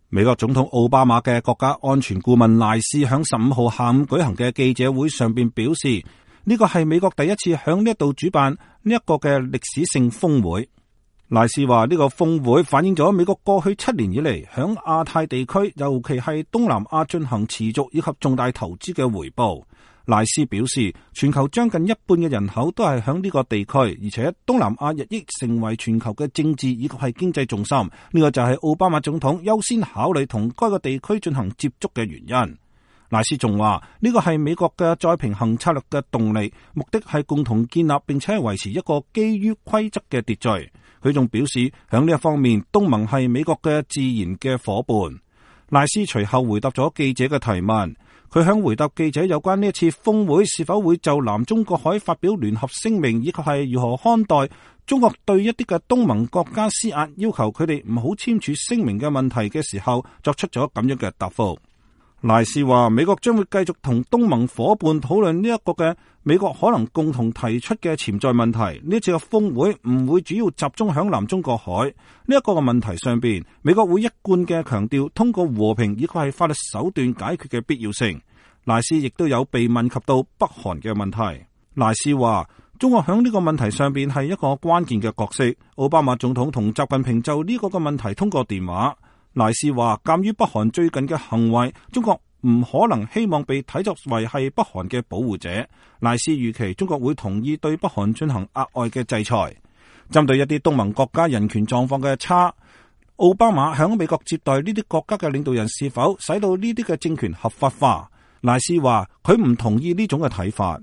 美國總統奧巴馬嘅國家安全顧問賴斯響15號下午舉行嘅記者會上邊表示，呢個係美國第一次響呢一度主辦呢一個嘅歷史性峰會。賴斯話呢個峰會反映咗美國過去7年以嚟響亞太地區，尤其係東南亞進行持續以及重大投資嘅回報。賴斯表示，全球將近一半嘅人口都係響呢個地區，而且東南亞日益成為全球嘅政治以及係經濟重心。呢個就係奧巴馬總統優先考慮同該個地區進行接觸嘅原因。賴斯仲話呢個係美國嘅再平衡策略嘅動力，目的係共同建立並且維持一個基於規則嘅秩序。佢仲表示響呢一方面，東盟係美國嘅自然嘅夥伴。賴斯隨後回答咗記者嘅提問。佢響回答記者有關呢一次峰會是否會就南中國海發表聯合聲明，以及係如何看待中國對一啲嘅東盟國家施壓，要求佢哋唔好簽署聲明嘅問題嘅時候，作出咗咁樣嘅答覆。賴斯話美國將會繼續同東盟夥伴討論呢一個嘅美國可能共同提出嘅潛在問題。呢一次嘅峰會唔會主要集中響南中國海呢一個嘅問題上邊，美國會一貫嘅強調通過和平以及係法律手段解決嘅必要性。賴斯亦都有被問及到北韓嘅問題。賴斯話中國響呢個問題上邊係一個關鍵嘅角色。奧巴馬總統同習近平就呢個嘅問題通過電話。賴斯話鑒於北韓最近嘅行為，中國唔可能希望被睇作為係北韓嘅保護者。賴斯預期中國會同意對北韓進行額外嘅制裁。針對一啲東盟國家人權狀況嘅差，奧巴馬響美國接待呢啲國家嘅領導人是否使到呢啲嘅政權合法化？賴斯話佢唔同意呢種嘅睇法。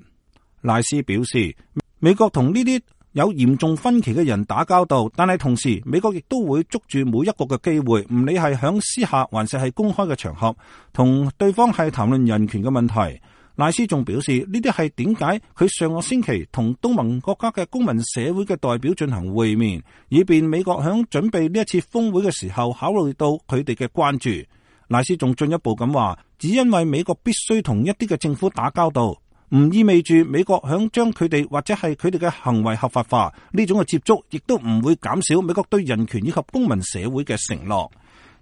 賴斯表示，美國同呢啲有嚴重分歧嘅人打交道，但係同時美國亦都會捉住每一個嘅機會，唔理係響私下還是係公開嘅場合，同對方係談論人權嘅問題。賴斯仲表示，呢啲係點解佢上個星期同東盟國家嘅公民社會嘅代表進行會面，以便美國響準備呢一次峰會嘅時候考慮到佢哋嘅關注。賴斯仲進一步咁話，只因為美國必須同一啲嘅政府打交道，唔意味住美國響將佢哋或者係佢哋嘅行為合法化。呢種嘅接觸亦都唔會減少美國對人權以及公民社會嘅承諾。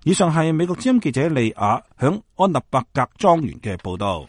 以上係美國之音記者利亞響安納伯格莊園嘅報道。